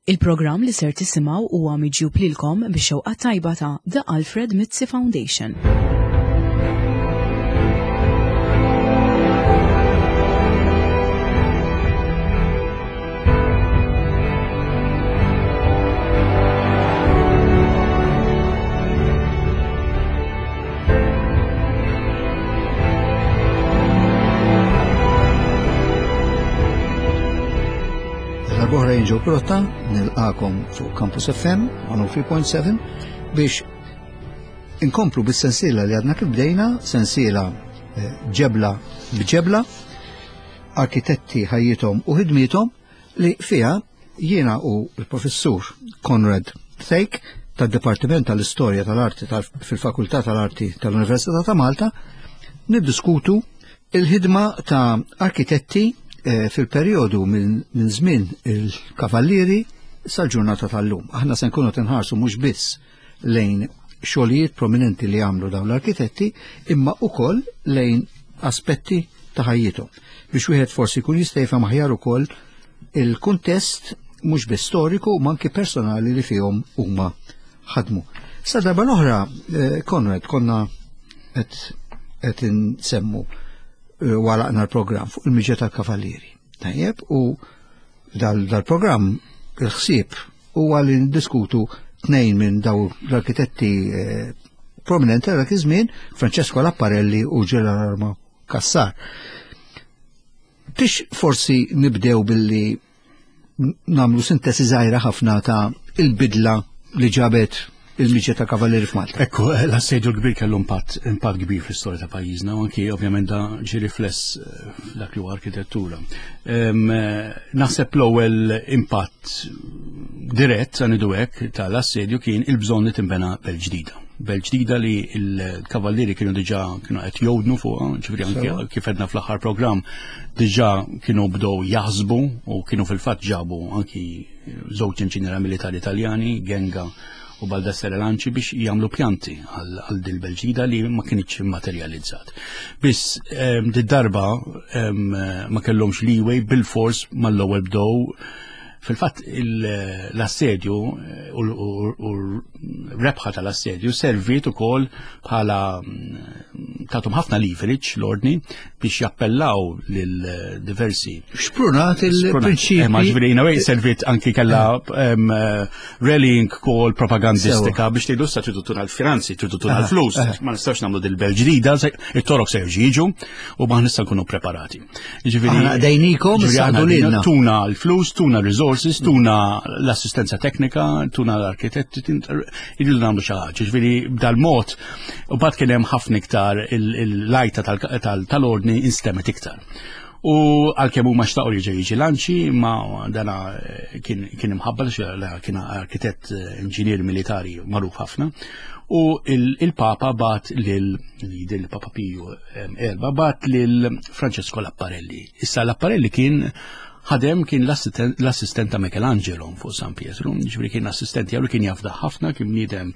Il-programm li ser tisimgħu huwa miġjub lilkom bix-xewqa tajba ta' The Alfred Mizzi Foundation. Darb'oħra jien Joe Protta nilqakom fuq Campus FM 103.7 biex inkomplu bis-sensiela li għadna kif bdejna, sensiela eh, ġebla b'ġebla, arkitetti ħajjithom u ħidmiethom li fiha jiena u l-professur Conrad Thake tad-Dipartiment tal-Istorja tal-Arti fil-Fakultà tal-Arti tal-Università ta' Malta niddiskutu il-ħidma ta' arkitetti eh, fil-perjodu minn żmien il-Kavallieri sal-ġurnata tal-lum. Aħna se nkunu tinħarsu mhux biss lejn xogħlijiet prominenti li għamlu dawn l-arkitetti, imma ukoll lejn aspetti ta' ħajjithom. Biex wieħed forsi jkun jista' jifhem aħjar ukoll il-kuntest mhux biss storiku ma anki personali li fihom huma ħadmu. Sa darba l-oħra, eh, Konrad, konna qed insemmu eh, walaqna l-programm fuq il-miġja tal-Kavallieri. Tajjeb, u dal-programm il-ħsieb huwa li ndiskutu tnejn minn daw l-arkitetti eh, prominenti dak iż-żmien, Francesco Lapparelli u Gerardo Cassar. Tix forsi nibdew billi namlu sintesi żgħira ħafna ta' il-bidla li ġabet il-miġja ta' kavallieri f'Malta. Ekku, eh, l-assedju l-kbir kellu impatt, impatt kbir fl-istorja ta' pajjiżna, u anki ovvjament da ġi rifless eh, f'dak li huwa arkitettura. Eh, naħseb l-ewwel impatt dirett, għanidu hekk, tal-assedju kien il-bżonn li tinbena belt ġdida. Belt ġdida li l-kavallieri kienu diġà kienu qed jowdnu fuqha, ġifieri anki kif edna fl-aħħar programm diġà kienu bdew jaħsbu u kienu fil-fatt ġabu anki żewġ inġiniera militari Taljani, Genga u Baldassare Lanci biex jagħmlu pjanti għal dil belġida li ma kienx immaterjalizzat. Biss ehm, di darba ehm, ma kellhomx leeway bil-fors mal-ewwel bdew Fil-fatt l-assedju eh, u rebħa tal-assedju serviet ukoll bħala mm, tatum ħafna leverage l-ordni biex jappellaw lil diversi. Xprunat il-prinċipi. Eh, ma ġifieri in a way serviet anki kella eh, rallying call propagandistika biex tgħidu sa tridu tuna l-finanzi, tridu tuna l-flus, ma nistax nagħmlu dil-bel ġdida, it-torok se jiġu u ma nista' nkunu preparati. Ġifieri aħna dejnikom ġifieri lilna. Tuna l-flus, tuna resources, tuna l-assistenza teknika, tuna l-arkitetti, irridu nagħmlu xi ħaġa. Ġifieri b'dal-mod u bad kien hemm ħafna iktar il-lajta tal-ordni instemet iktar. U għalkemm huma xtaqu li ġej jiġi lanċi, ma dana eh, kien imħabba kien arkitett eh, inġinier militari magħruf ħafna. U il-Papa bat lil il-Papa Piju erba bat lil Francesco Lapparelli. Issa Lapparelli kien ħadem kien l-assistent ta' Michelangelo fuq San Pietro, ġifieri kien assistent jew kien jafda ħafna, kien bniedem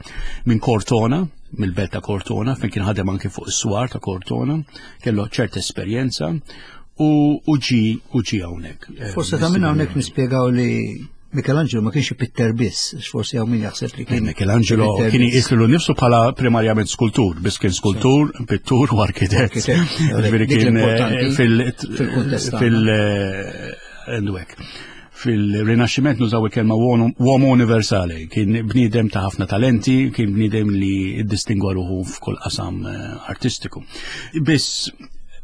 minn Cortona, mill-belt ta' Cortona, fejn kien ħadem anke fuq is-swar ta' Cortona, kellu ċerta esperjenza u ġi u ġi hawnhekk. Eh, Forse ta' minn hawnhekk nispjegaw li Michelangelo ma kienx pitter biss, forsi hawn min jaħseb li kien. Michelangelo kien jqislu nifsu bħala primarjament skultur, biss kien skultur, pittur u arkitett. Ġifieri kien eh, fil-kuntest fil eh, fil-Rinaxximent nużaw il-kelma uomo universale, kien bniedem ta' ħafna talenti, kien bniedem li ddistingwa ruħu f'kull qasam eh, artistiku. Biss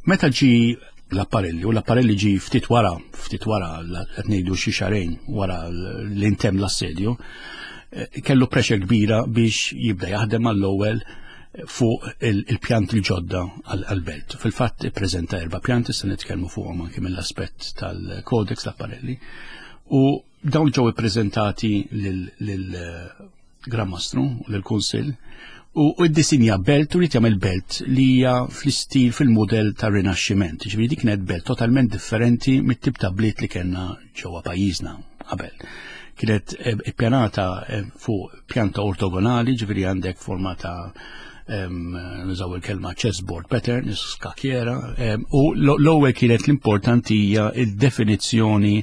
meta ġi l-apparelli u l-apparelli ġi ftit wara, ftit wara qed ngħidu xi xarejn wara l-intem l-assedju, eh, kellu pressure kbira biex jibda jaħdem għall-ewwel fuq il-pjant il-ġodda għal-belt. Fil-fatt ippreżenta erba' pjanti se nitkellmu fuqhom anke mill-aspett tal-kodex l-apparelli u dawn ġew ippreżentati lil Gran Mastru u lill-Kunsill u ddisinja belt u rrid jagħmel belt li hija fl-istil fil-mudell tar-Rinaxximent. Ġifieri dik kienet belt totalment differenti mit-tip ta' bliet li kellna ġewwa pajjiżna qabel. Kienet eh, ippjanata eh, fuq pjanta ortogonali, ġifieri għandek forma ta' nużaw il-kelma chessboard pattern, skakjera, u l-ewwel kienet l-importanti hija il-definizzjoni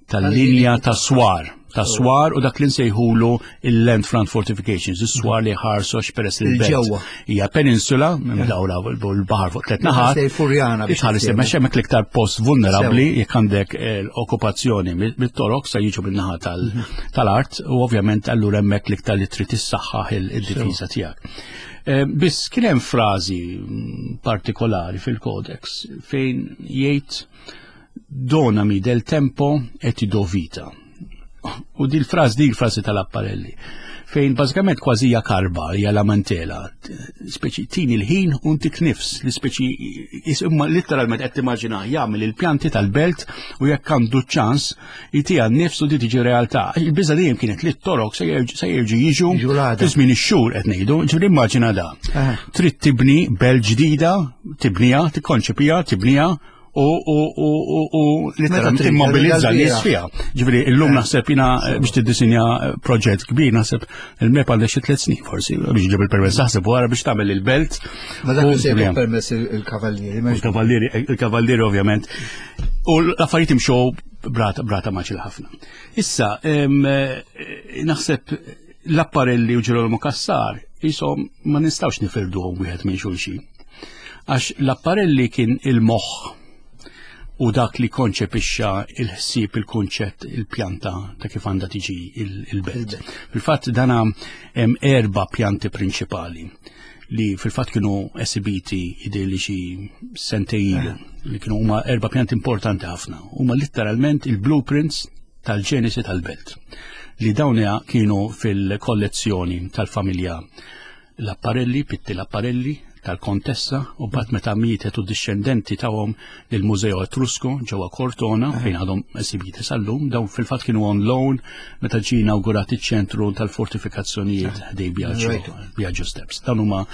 tal-linja ta' swar. Ta' swar u dak li nsejħulu il-land front fortifications, is-swar li ħarsu għax peress li l-belt hija peninsula, mdawla l-baħar fuq tliet naħat. Furjana biex tħares imma hemmhekk l-iktar post vulnerabbli jekk għandek eh, l-okkupazzjoni mit-torok se jiġu min-naħa mhm. tal-art u ovvjament allura hemmhekk l-iktar li trid issaħħaħ il-difiża tiegħek. Eh, biss kien hemm frażi partikolari fil-kodex fejn jgħid Donami del tempo e ti do vita. U dil fraż dil frażi tal-apparelli fejn bażikament kważi hija karba, hija lamentela, speċi tini l-ħin u ntik nifs, li speċi imma letteralment qed timmaġina jagħmel il-pjanti tal-belt u jekk għandu ċans jtiha n-nifs u di tiġi realtà. Il-biża dejjem kienet li t-torok se jerġu jiġu fi żmien ix-xhur qed ngħidu, ġifieri immaġina da. Trid tibni belt ġdida, tibniha, tikkonċepija, tibniha u u u u u literalment immobilizza nies fiha. Ġifieri illum eh. naħseb jiena eh, biex tiddisinja eh, proġett kbir naħseb il-MEP għandha xi tliet snin forsi biex ġib il-permess naħseb wara biex tagħmel il-belt. Ma dak se permess il-kavallieri. Il-kavallieri, il-kavallieri ovvjament. U l-affarijiet imxew brata brata maċil ħafna. Issa, naħseb l-apparelli u Ġerolmo Cassar jisom ma nistawx nifirduhom wieħed minn xulxin. Għax l-apparelli kien il-moħħ u dak li konċepixxa il-ħsieb, il-kunċett, il-pjanta ta' kif għandha tiġi il-belt. Fil-fatt dana hemm erba' pjanti prinċipali li fil-fatt kienu esibiti jidher li xi sentejn ilu li kienu huma erba' pjanti importanti ħafna. Huma letteralment il-blueprints tal-ġenesi tal-belt li dawn kienu fil-kollezzjoni tal-familja L-apparelli, Pitti l-apparelli, tal-Kontessa u bat meta mietet u dixxendenti tawhom lill-Mużeo Etrusco ġewwa Cortona fejn għadhom esibiti sal-lum, dawn fil-fatt kienu on loan meta ġie inawgurat iċ-ċentru tal-fortifikazzjonijiet ħdej Biagio Steps. Dawn huma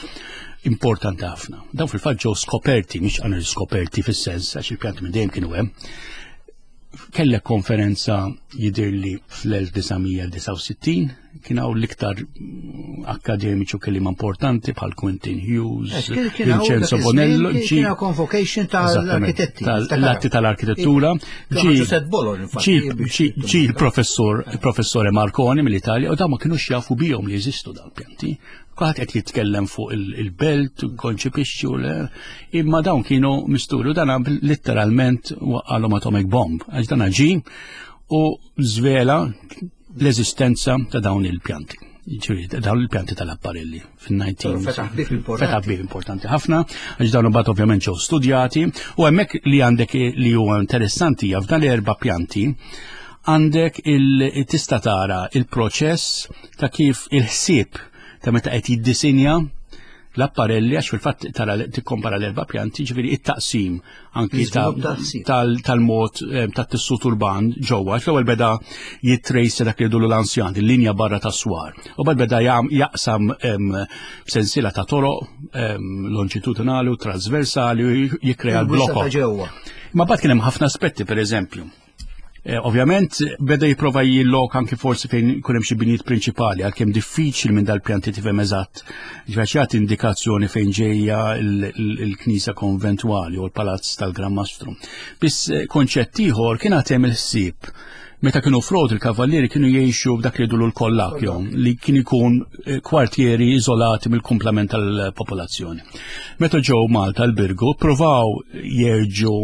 importanti ħafna. Dawn fil-fatt ġew skoperti, mhix għan skoperti fis-sens għax il-pjanti minn dejjem kienu hemm Kellek konferenza jidirli fl-1969 kien hawn l-iktar akademiċi u kelliema importanti bħal Quentin Hughes, eh, Vincenzo Bonello, ġi convocation tal-arkitetti, tal-atti tal-arkitettura, ġi il-professor il-professore Marconi mill-Italja u dawn ma kinux jafu bihom li jeżistu dal-pjanti. Kulħadd qed jitkellem fuq il-belt, konċipixxu, imma dawn kienu misturu dan letteralment waqqalhom atomic bomb, għax dan ġi u żvela l-eżistenza ta' dawn il-pjanti. Ġifieri dawn il-pjanti tal-apparelli fin-19. Fetaħ bib importanti ħafna, għax dawn imbagħad ovvjament ġew studjati u hemmhekk li għandek li huwa interessanti hija f'dan l-erba' pjanti għandek il-tista tara il-proċess ta' kif il-ħsieb ta' meta qed jiddisinja l-apparelli għax fil-fatt tara tikkompara l-erba' pjanti, ġifieri it-taqsim anki tal-mod eh, tat-tissut urban ġewwa. Għax l-ewwel beda jittrejsa dak li jgħidulu l-ansjan, il-linja barra tas-swar. U bad beda jaqsam b'sensiela ta' toroq lonġitudinali u trasversali u jikkrea l-blokok. Ma bad kien hemm ħafna aspetti, per eżempju. Eh, ovvjament, beda jipprova jillok anki forsi fejn ikun hemm xi binijiet prinċipali, għalkemm diffiċli minn dal-pjanti tifhem eżatt. Ġifieri jagħti indikazzjoni fejn ġejja l-knisja konventwali u l-palazz tal-Gran Mastru. Biss eh, konċett ieħor kien għad hemm il-ħsieb meta kienu frod il-kavallieri kienu jgħixu b'dak li jgħidulu l-kollakjo li kien ikun eh, kwartieri iżolati mill-kumplament tal-popolazzjoni. Meta ġew Malta l-Birgu, provaw jerġu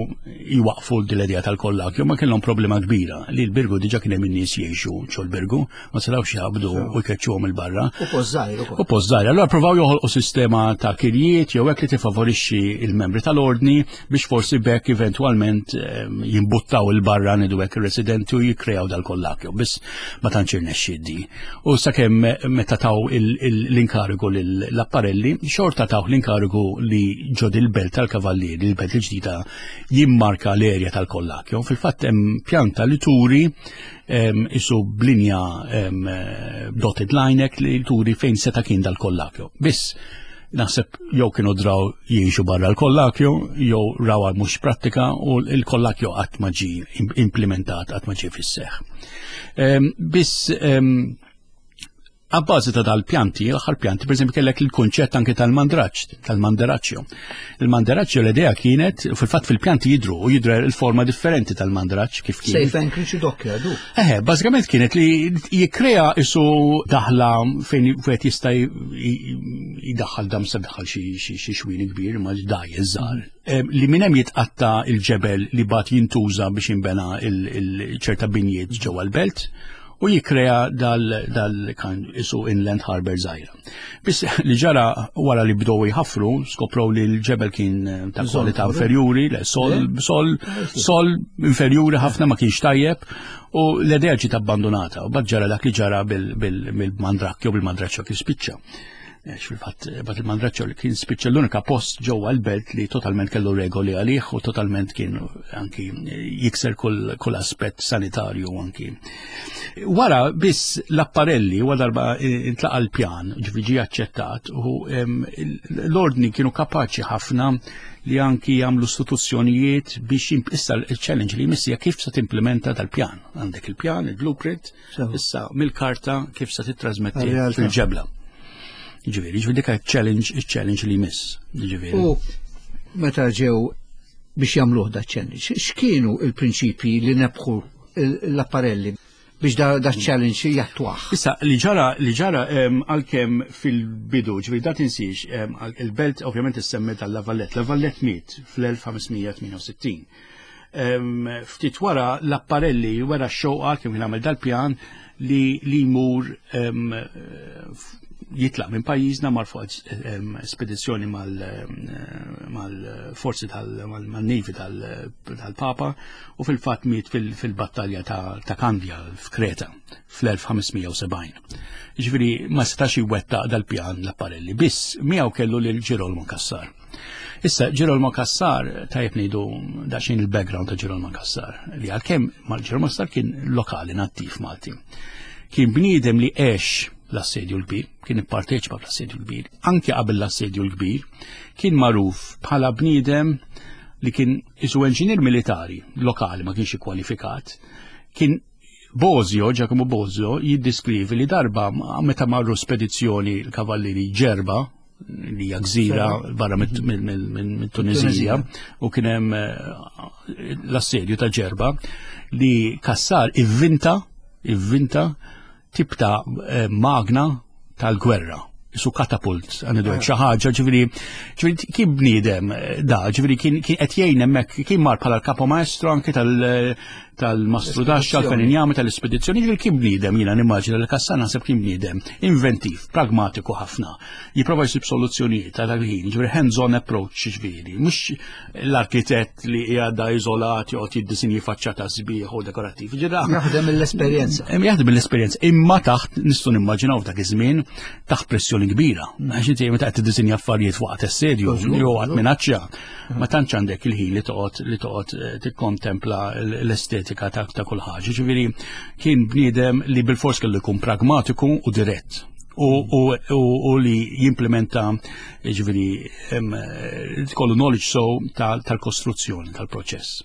jwaqfu l-idea tal-kollakju, ma kellhom problema kbira li l-Birgu diġa kien hemm in-nies jgħixu ġol Birgu, ma setgħux jaqbdu u jkeċċuhom il-barra. U pożżajr ukoll. U pożżajr. Allura provaw joħolqu sistema ta' kirjiet jew hekk li tifavorixxi il-membri tal-ordni biex forsi bekk eventwalment ehm, jimbuttaw il-barra nidu hekk ir-residenti u jikkreaw dal-kollakju. Biss ma tantx irnexxiet di. U sakemm meta taw l-inkarigu l-apparelli, xorta taw l-inkarigu li ġod il-belt tal-kavallieri, il-belt il-ġdida jimmarka l-erja tal-kollakju. Fil-fatt hemm pjanta li turi isu b'linja dotted line li turi fejn seta' kien dal-kollakju. Biss naħseb jew kienu draw jgħixu barra l-kollakju, jew raw mhux prattika u l-kollakju qatt ma ġie implementat, qatt ma ġie fis-seħħ. Biss Abbażi ta' dal-pjanti, l-aħħar pjanti, per eżempju, kellek il-kunċett anke tal-mandraġġ, tal-mandaraċċju. Il-mandaraċċju l-idea kienet, fil-fatt fil-pjanti jidru u jidru il-forma differenti tal-mandraġġ kif kien. Safe anchorage u dockyard. Eħe, bażikament kienet li jikkrea isu daħla fejn wieħed jista' jdaħħal dam se daħħal xi xwini kbir ma dajje żgħar. Li minn hemm jitqatta il-ġebel li bat jintuża biex jinbena il-ċerta binjiet ġewwa l-belt u jikkrea dal, dal kan isu inland harbor żgħira. Biss li ġara wara li bdew jħaffru, skoprow li l-ġebel kien eh, ta' kwalità inferjuri, le sol, sol, sol inferjuri ħafna ma kienx tajjeb u l-idea ġiet abbandonata u bad ġara dak li ġara bil-mandrakkju bil-mandraċċju kif spiċċa. Għax fil-fatt bat il-Mandraċċo li kien spiċċa l-unika post ġewwa l-belt li totalment kellu regoli għalih u totalment kien anki jikser kull, kull aspett sanitarju anki. Wara biss l-apparelli wara darba intlaqa l-pjan, ġifieri ġie aċċettat u l-ordni kienu kapaċi ħafna li anki jagħmlu istituzzjonijiet biex issa l-challenge li jmissija kif se timplementa dal-pjan. Għandek il-pjan, il-blueprint, Issa, mill-karta kif se titrasmetti fil-ġebla. Ġifieri, ġifieri dik challenge, il-challenge li jmiss. Ġifieri. U meta ġew biex jagħmluh da challenge, x'kienu il-prinċipji li nebħu l-apparelli biex da, da challenge jattwaħ. Issa, li ġara, li ġara għalkemm fil-bidu, ġifieri da tinsiex, il-belt ovvjament issemmet għal Lavallet. Lavallet miet fl-1568. Ftit wara l-apparelli wara x-xewqa kif kien għamel dal-pjan li li jmur jitlaq minn pajjiżna mar fuq spedizzjoni mal-forzi tal-Navy tal-Papa u fil-fatt miet fil-battalja ta' Kandja f'Kreta fl-1570. Ġifieri ma setax iwettaq dal-pjan l-apparelli, biss miegħu kellu lil Ġirolmo Cassar. Issa, Ġirolmo Cassar, tajjeb ngħidu daqsxejn il-background ta' Ġirolmo Cassar, li għalkemm mal Ġirolmo Cassar kien lokali nattiv Malti. Kien bniedem li għex l-assedju l-kbir, kien ipparteċipa fl-assedju l-kbir, anke qabel l-assedju l-kbir, kien magħruf bħala bniedem li kien isu enġinier militari lokali ma kienx ikkwalifikat, kien Bosio, Giacomo Bosio, jiddiskrivi li darba meta marru spedizzjoni l-kavallieri ġerba, li hija gżira barra mit-Tunizija u kien hemm eh, l-assedju ta' ġerba li Kassar ivvinta ivvinta tip ta' eh, magna tal-gwerra su katapult, għanidu ah. xi ħaġa, ġifieri, ġifieri kien bniedem eh, da, ġifieri kien qed jgħin hemmhekk, kien mar bħala l-kapo maestro anke tal- tal-mastru daxxa, tal-feninjami, tal-ispedizzjoni, ġifieri kien bniedem jiena nimmaġina li Kassan naħseb kien bniedem inventiv, pragmatiku ħafna, jipprova jsib soluzzjonijiet ta' dak il-ħin, ġifieri hands-on approach ġifieri, mhux l-arkitett li qiegħda iżolat joqgħod jiddisinji faċċata sbieħ u dekorattiv. Jaħdem mill-esperjenza. Jaħdem mill-esperjenza, imma taħt nistgħu nimmaġinaw f'dak iż-żmien taħt pressjoni kbira. Għax inti meta qed tiddisinja affarijiet waqt assedju jew waqt minaċċja, ma tantx għandek il-ħin li toqgħod li toqgħod eh, tikkontempla l-estetika ta' ta' kull ħaġa. Ġifieri kien bniedem li bil-fors kellu jkun pragmatiku u dirett u, u, u, u li jimplementa ġifieri eh, kollu knowledge so tal-kostruzzjoni tal-proċess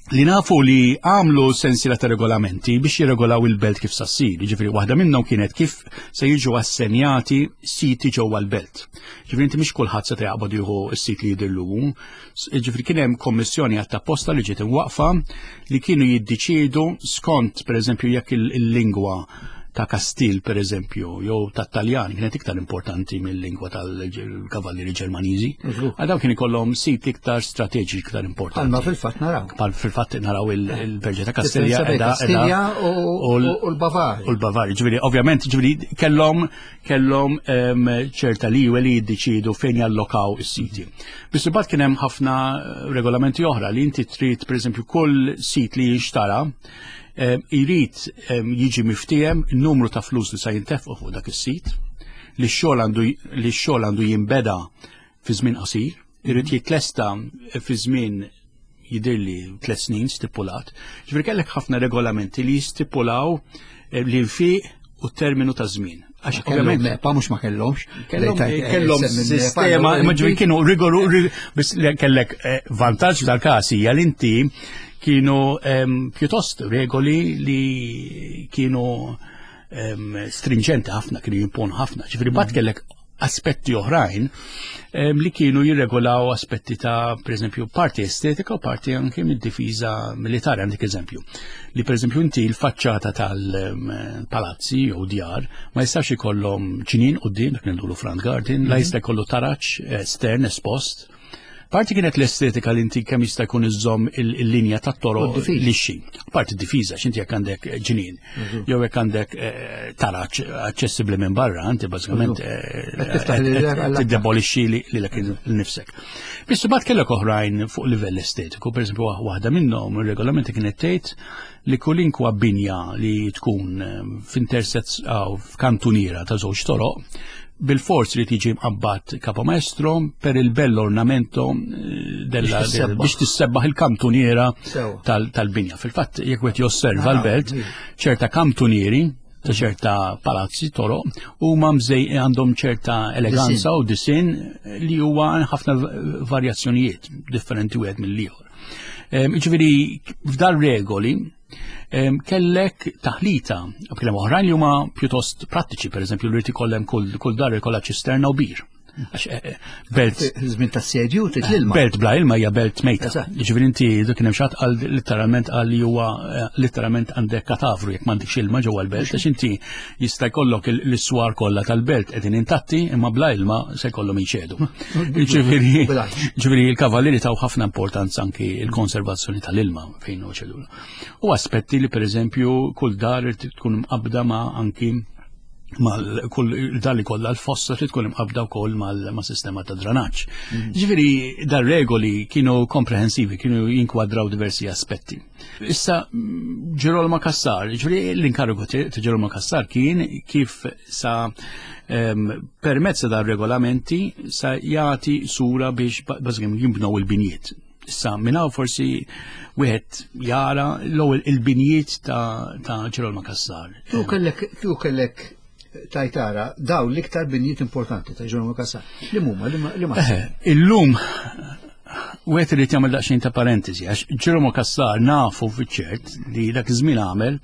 li nafu li għamlu sensiela ta' regolamenti biex jirregolaw il-belt kif sassir. Ġifiri, waħda minnhom kienet kif se jiġu assenjati siti ġewwa l-belt. Ġifiri, inti mhix kulħadd se jaqbad jieħu s-sit li jidhirlu. Ġifiri, kien hemm kommissjoni għat apposta li ġiet imwaqfa li kienu jiddeċiedu skont, pereżempju, jekk il-lingwa ta' Kastil per eżempju, jew ta' Taljan kienet iktar importanti mill-lingwa tal-kavallieri Ġermaniżi. Għal dawn kien ikollhom sit iktar strateġiċi iktar importanti. Palma fil-fatt naraw. Pal fil-fatt naraw il-Berġa ta' Kastilja Kastilja u l-Bavari. U l-Bavari, ġifieri ovvjament ġifieri kellhom kellhom ehm, ċerta liwe li jiddeċiedu fejn jallokaw is-siti. Biss imbagħad kien hemm ħafna regolamenti oħra li inti trid pereżempju kull sit li jinxtara Irid jiġi miftiehem numru ta' flus li sa jintefqu fuq dak is-sit, li x-xogħol għandu li x-xogħol għandu jinbeda fi żmien qasir, irid mhm. jitlesta fi żmien jidirli tliet snin stipulat. Ġifieri kellek ħafna regolamenti li jistipulaw eh, li nfiq u terminu ta' żmien. Għax ovvjament mepa mhux ma kellhomx. Kellhom eh, sistema, imma ġifieri kienu rigoru biss kellek eh, vantaġġ dal-każ hija li inti kienu pjuttost regoli li kienu stringenti ħafna, kienu jimponu ħafna. Ġifieri bad kellek aspetti oħrajn li kienu jirregolaw aspetti ta' per eżempju, parti estetika u parti anke mid-difiża militari, għandek eżempju. Li per eżempju inti l-faċċata tal-palazzi jew djar ma jistax ikollhom ġnien quddiem, dak ngħidulu front garden, la jista' jkollu taraġ estern espost. Parti kienet l-estetika li inti kemm jista' jkun iżżomm il-linja tat-toroq lixxi. Parti difiża x'inti jekk għandek ġnien mhm. jew jekk għandek eh, taraġ aċċessibbli minn barra, inti bażikament mhm. eh, tiddebolixxi lilek nifsek. Biss imbagħad kellek oħrajn fuq livell estetiku, pereżempju waħda minnhom ir-regolamenti kienet tgħid li kulinkwa binja li tkun eh, f'intersezz f'kantuniera ta' żewġ toroq bil-forz li tiġi mqabbad capo maestro per il bello ornamento eh, della biex tissebbaħ il-kantuniera tal-binja. Fil-fatt jekk wieħed josserva ah, l-belt, ċerta kantunieri ta' ċerta palazzi toroq huma mżej għandhom ċerta eleganza u disin li huwa ħafna varjazzjonijiet differenti wieħed mill-ieħor. Ġifieri f'dar regoli kellek taħlita b'kliem oħrajn li huma pjuttost prattiċi, pereżempju li ikollem kull dar ikollha ċisterna u bir. Għax eh, eh, belt. Żmien ta' sedju trid l-ilma. Belt bla ilma hija belt mejta. Jiġifieri inti dak kien hemm xatt qal litteralment qal li huwa eh, litteralment għandek katavru jekk m'għandekx ilma ġewwa l-belt għax inti jista' jkollok l-iswar kollha tal-belt qegħdin intatti imma bla ilma se jkollhom jinxedu. Ġifieri ġifieri l-kavallieri taw ħafna importanza anki l-konservazzjoni tal-ilma fejn hu ċedula. U aspetti li pereżempju kull dar tkun mqabbda ma' anki mal kull dar li kollha l-fossa trid tkun imqabbda wkoll mal-sistema ta' dranaġġ. Mm. Ġifieri dar regoli kienu komprehensivi, kienu jinkwadraw diversi aspetti. Issa Ġerolmo Cassar, ġifieri l-inkarigu ta' Ġerolmo Cassar kien kif sa permezz ta' dar regolamenti sa jagħti sura biex bażikament jinbnew il-binjiet. Issa minn hawn forsi wieħed jara l-ewwel il-binjiet ta' Ġerolmo Cassar. Tu kellek tu kellek tajtara daw l-iktar binjiet importanti ta' Ġerolmo Cassar. Li huma li ma. Eh, illum wieħed irid jagħmel daqsxejn ta' parentesi għax Ġerolmo Cassar nafu fiċ-ċert li dak iż-żmien għamel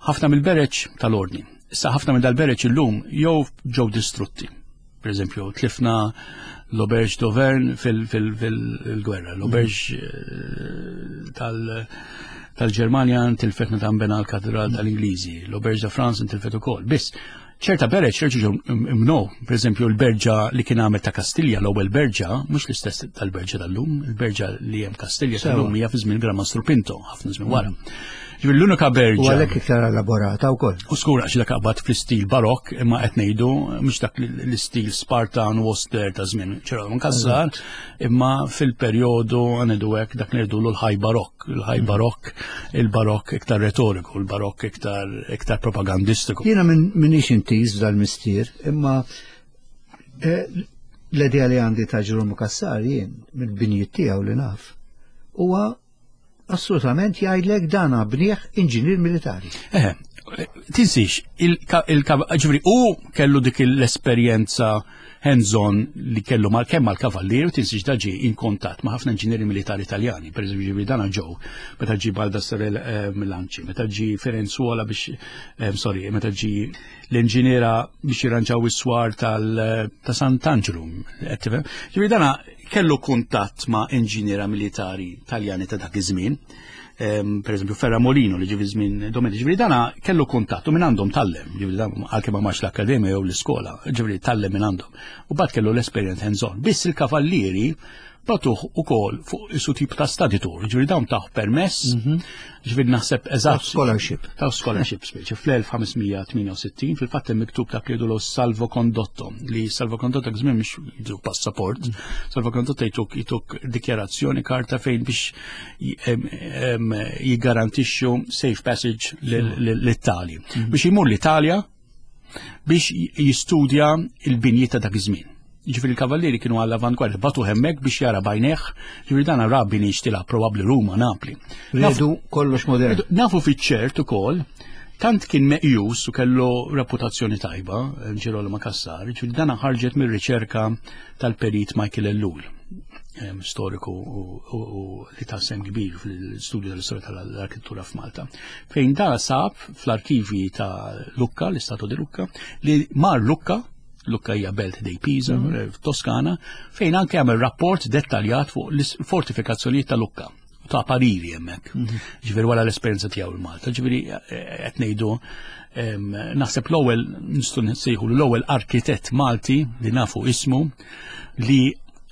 ħafna mill-bereġ tal-ordni. Issa ħafna minn dal-bereġ illum jew ġew distrutti. Per eżempju, tlifna l-Auberge d'Auvergne fil-gwerra, l-Auberge eh, tal-Ġermanja ntilfet meta nbena l-Katedral tal-Ingliżi, l-Auberge de France ntilfet ukoll. Biss, ċerta bereġ reġgħu ġew imnow, per eżempju l-berġa li kien għamel ta' Kastilja, l-ewwel berġa, mhux l-istess tal-berġa tal-lum, il-berġa li hemm Kastilja tal-lum hija fi żmien Gran Mastru Pinto, ħafna żmien wara. Ġifieri l-unika berġa. U għalhekk iktar elaborata wkoll. U skur għax dak qabad fl-istil barokk imma qed ngħidu mhux dak l-istil Spartan u auster ta' żmien ċertu Kassar, imma fil-perjodu ngħidu hekk dak ngħidulu l-ħaj barokk, il-ħaj mm. barokk, il-barokk iktar retoriku, il-barokk iktar iktar propagandistiku. Jiena minix intiż dal-mistier, imma eh, l-idea li għandi ta' Ġeromu Kassar jien mill-binjiet tiegħu li naf huwa assolutament jgħidlek dan bnieh inġinier militari. Eh, tinsix, il-ġifri, u kellu dik l-esperjenza hands-on li kellu mal kemm mal-kavallier, tinsix daġi in kontatt ma' ħafna inġinieri militari italjani, per eżempju ġifri dana ġew, meta ġi Baldassare eh, Milanci, meta ġi Firenzuola biex, eh, sorry, meta ġi l-inġiniera biex jirranġaw is-swar ta' Sant'Angelo. Ġifri dana kellu kuntatt ma' inġiniera militari Taljani ta' dak iż-żmien, per eżempju Ferramolino li ġie fi żmien Domenici, ġifieri dana kellu kuntatt u minn għandhom tallem, ġifieri dan għalkemm ma marx l-akkademja jew l-iskola, ġifieri tallem minn għandhom. U bad kellu l-esperjenza hands-on. Biss il-kavallieri batuh ukoll fuq isu tip ta' study tour, ġifieri dawn taħ permess, mhm. ġifieri naħseb eżatt. Scholarship. Ta' scholarship speċi fl-1568 fil-fatt hemm miktub ta' li salvo condotto li salvo condotto żmien mhux jidru passaport, mm. salvo condotto jtuk jtuk dikjarazzjoni karta fejn biex jiggarantixxu safe passage l-Italja. Mm. Biex imur l-Italja biex jistudja il-binjiet ta' dak iż-żmien. Ġifieri il-kavallieri kienu għall avantgwardja batu hemmhekk biex jara bajneħ, ġifieri dan ra bini xtila probabbli Ruma, Napli. Ridu kollox modern. Nafu fiċ-ċert ukoll tant kien meqjus u kellu reputazzjoni tajba, Ġirolamo Cassar, ġifieri dan ħarġet mir-riċerka tal-perit Michael Ellul. storiku u li ta' sem kbir fil-studju tal-istorja tal-arkitettura f'Malta. Fejn da sab fl-arkivi ta' Lucca, l-Istato di Lucca, li mar Lucca, Lucca hija belt dej Pisa, f'Toskana, fejn anke għamel rapport dettaljat fuq l-fortifikazzjonijiet ta' Lucca ta' pariri hemmhekk. Ġifieri wara l-esperjenza tiegħu l-Malta. Ġifieri qed ngħidu naħseb l-ewwel nistgħu nsejħu l-ewwel arkitett Malti li nafu ismu li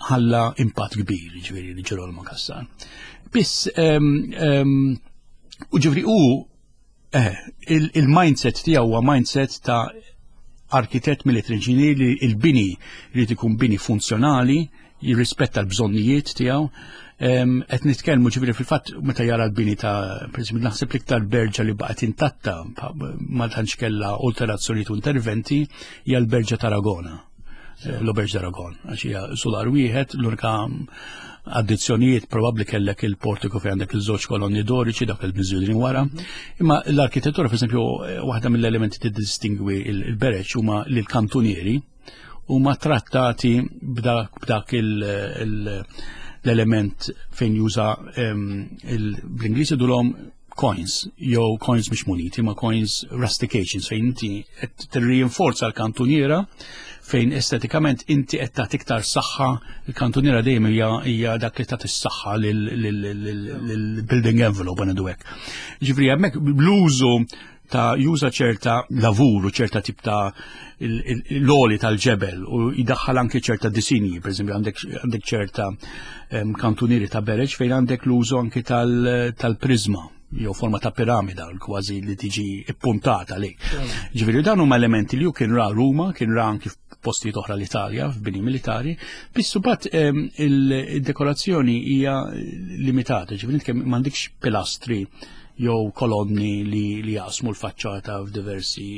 ħalla impatt kbir, ġifieri li Ġerolmo Cassar. Biss u ġifieri hu il-mindset tiegħu huwa mindset ta' arkitett military engineer li il-bini jrid ikun bini funzjonali, jirrispetta l-bżonnijiet tiegħu. Qed nitkellmu ġifieri fil-fatt meta jara l-bini ta' pereżempju naħseb l-iktar berġa li baqgħet intatta ma tantx kellha alterazzjonijiet u interventi hija l-berġa ta' Aragona. L-Auberge d'Aragon, għax hija sular wieħed, l-unika addizzjonijiet probabbli kellek il-portiku fejn għandek iż-żewġ kolonni doriċi dak il-miżjudin wara. Imma l-arkitettura, pereżempju, waħda mill-elementi tiddistingwi il-bereċ huma li l-kantunieri huma trattati b'dak l-element fejn juża bl-Ingliż idulhom coins, jew coins mhux muniti, ma coins rustications, fejn inti qed tirrinforza l-kantuniera fejn estetikament inti qed tagħti iktar saħħa, il-kantuniera dejjem hija dak li tagħti s-saħħa lill-building envelope ngħidu hekk. Ġifieri hemmhekk l-użu ta' juża ċerta lavur u ċerta tip ta' l-oli tal-ġebel u jidaħħal anke ċerta disinji, per eżempju għandek ċerta kantunieri ta' bereġ fejn għandek l-użu anke tal-prizma jew forma ta' piramida kważi li tiġi ippuntata lejk. Ġifieri dan huma elementi li hu kien ra Ruma, kien ra anki f'postijiet oħra l-Italja, f'bini militari, biss imbagħad il-dekorazzjoni hija limitata, ġifieri inti kemm m'għandikx pilastri jew kolonni li jaqsmu l-faċċata f'diversi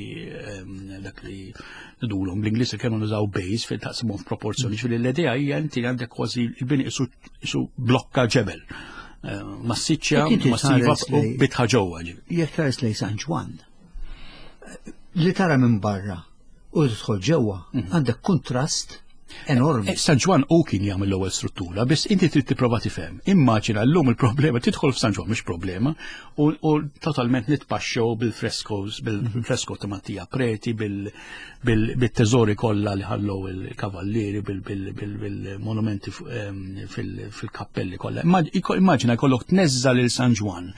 dak li ngħidulhom bl-Ingliż kemm nużaw bays fejn taqsimhom f'proporzjoni, ġifieri l-idea hija inti għandek kważi il-bini isu blokka ġebel. Massiċċja, massiva u bitħa ġewwa. Jekk tħares lejn San Ġwann, li tara minn barra u tidħol ġewwa, għandek kontrast enormi. San Ġwann u kien jagħmel l-ewwel struttura, biss inti trid tipprova tifhem. Immaġina llum il-problema tidħol f'San Ġwann mhux problema u totalment nitpaxxew bil-frescoes, bil-fresko ta' Mattia Preti, bil-teżori kollha li ħallew il-kavallieri, bil-monumenti fil-kappelli kollha. Immaġina jkollok tneżża lil San Ġwann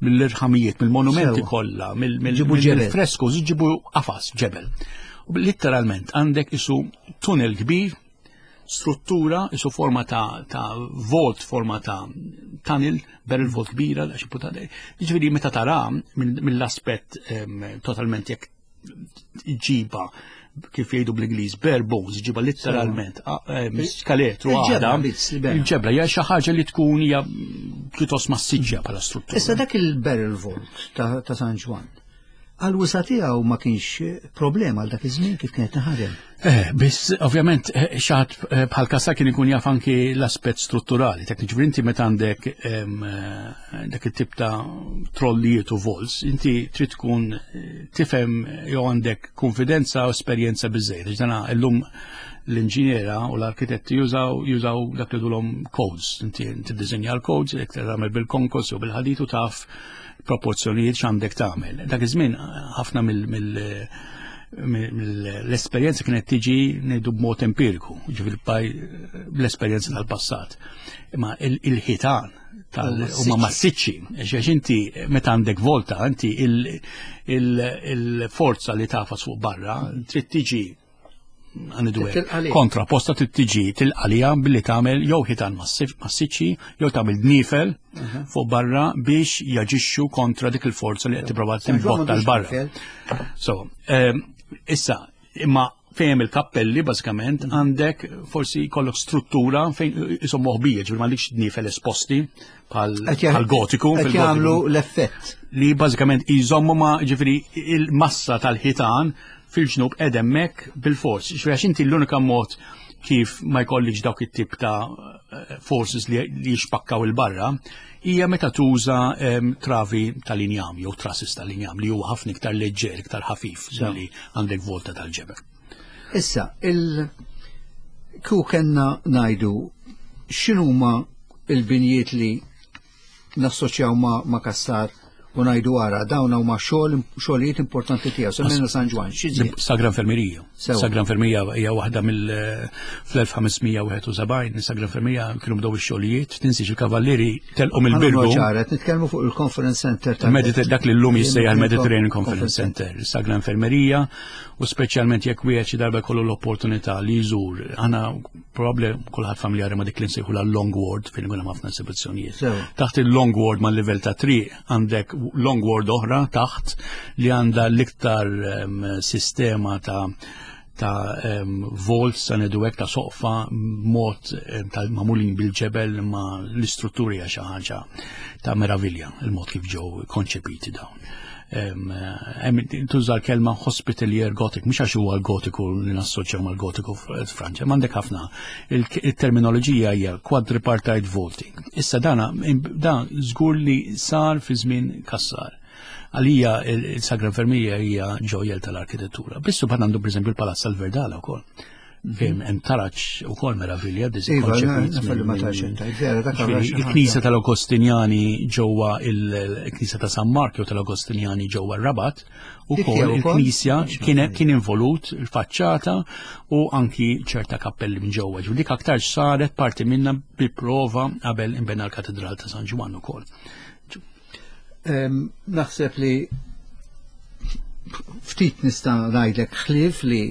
mill-irħamijiet, mill-monumenti kollha, mill-frescoes, ġibu qafas ġebel. Literalment għandek isu tunnel kbir, struttura, isu forma ta' vault, forma ta' tunnel, barrel vault kbira, ġifieri meta tara mill-aspett totalment jekk ġiba kif jgħidu bl-Ingliż bare bones, ġiba letteralment skaletru għada. Il-ġebla hija xi ħaġa li tkun hija pjuttost massiġġja bħala struttura. Issa dak il-barrel vault ta' San Ġwann, għal-wisa tiegħu ma kienx problema għal dak iż-żmien kif kienet taħdem. Biss ovvjament xaħat bħal Cassar kien ikun jaf anki l-aspett strutturali, tekniċi inti meta għandek dak it-tip ta' trollijiet u vaults, inti trid tkun tifhem jew għandek konfidenza u esperjenza biżejjed. Ġdana illum l-inġiniera u l-arkitetti jużaw dak li dulhom codes. Inti tiddisinja l-codes, jekk tagħmel bil-konkos jew bil-ħadid u taf proporzjonijiet x'għandek tagħmel. Dak iż-żmien ħafna mill-esperjenza kienet tiġi ngħidu b'mod empiriku, ġifieri bl-esperjenza tal-passat. Imma il-ħitan huma massiċċi, għax inti meta għandek volta, inti il-forza li tafas fuq barra trid tiġi għandu kontra posta trid tiġi tilqalija billi tagħmel jew ħitan massiċċi jew tagħmel dnifel fuq barra biex jaġixxu kontra dik il-forza li qed tipprova timbotta l barra. So, issa, imma fejn il-kappelli bażikament għandek forsi jkollok struttura fejn isom moħbija, ġifieri m'għandekx dnifel esposti bħal gotiku. Qed jagħmlu l-effett. Li bażikament jżommu ma ġifieri il-massa tal-ħitan fil-ġnub qed hemmhekk bil-fors. Ġifieri għax inti l-unika mod kif ma jkollikx dawk it-tip ta' forces li jixpakkaw il-barra hija meta tuża travi tal-injam jew trusses tal-injam li huwa ħafna iktar leġġer, iktar ħafif li għandek volta tal-ġebel. Issa, il kieku kellna ngħidu X'inhuma il-binjiet li nassoċjaw ma', ma Kassar u ngħidu ara dawn huma xogħol xogħlijiet importanti tiegħu semmejna San Ġwann. Sagra Infermerija. Sagra Infermerija hija waħda mill fl-1571 Sagra Infermerija kienu bdew ix-xogħlijiet, tinsiex il-kavallieri telqu mill-Birgu. Ċaret, nitkellmu fuq il-Conference Center tal dak li llum jissejjaħ il-Mediterranean Conference Center, Sagra Infermerija u speċjalment jekk wieħed xi darba jkollu l-opportunità li jżur. Aħna probabbli kulħadd familjari ma' dik li nsejħu la long ward fejn ikun hemm ħafna esibizzjonijiet. Taħt il-long ward mal livell ta' triq għandek long ward oħra taħt li għandha l-iktar ehm, sistema ta' ta' um, vaults ta' nedu ta' soqfa mod ta' mamulin bil-ġebel ma l-istrutturi xi ħaġa ta' meravilja il-mod kif ġew konċepiti dawn. Tuża l-kelma hospitalier gothic, mhux għax huwa l-gotiku li nassoċjaw mal-gotiku f'Franċa, m'għandek ħafna. Il-terminoloġija hija quadripartite vaulting. Issa dana dan żgur li sar fi żmien Kassar. Għalija il-Sagra Infermija hija ġojjel tal-arkitettura. Bissu bħal għandu pereżempju l-Palazz tal-Verdala wkoll. Fejn hemm taraġ ukoll meravilja iva, Il-Knisja tal-Agostinjani ġewwa il-Knisja ta' San Mark jew tal-Agostinjani ġewwa r-Rabat ukoll il-Knisja kien involut il-faċċata u anki ċerta kappelli minn ġewwa. Ġifieri dik aktar saret parti minna bi prova qabel inbena l-Katedral ta' San Ġwann ukoll. Naħseb li ftit nista' ngħidlek ħlief li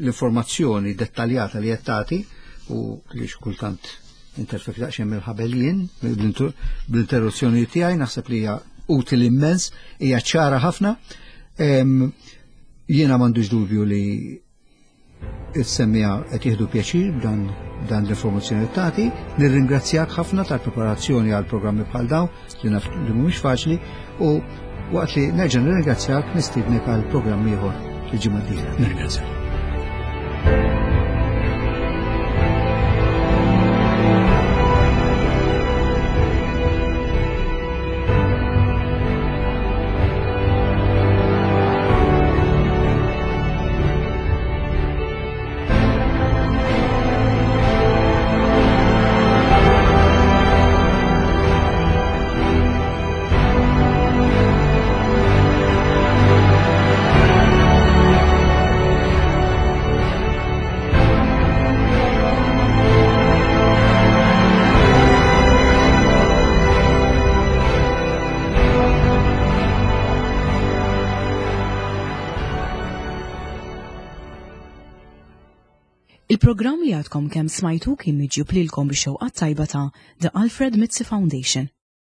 l-informazzjoni dettaljata li qed tagħti u li xkultant interfek daqsxejn mill-ħabel jien bl-interruzzjoni tiegħi naħseb li hija utili immens, hija ċara ħafna. Jiena m'għandux dubju li Is-semmiegħa qed jieħdu pjaċir b'dan dan l-informazzjoni li tagħti. Nirringrazzjak ħafna tal-preparazzjoni għal programmi bħal dawn li naf li mhumiex faċli u waqt li nerġa' nirringrazzjak nistiednek għal programm ieħor il-ġimgħa d-dieħla. Nirringrazzjak. Il-programm li għadkom kemm smajtu kien miġjub lilkom bix-xewqat tajba ta' The Alfred Mizzi Foundation.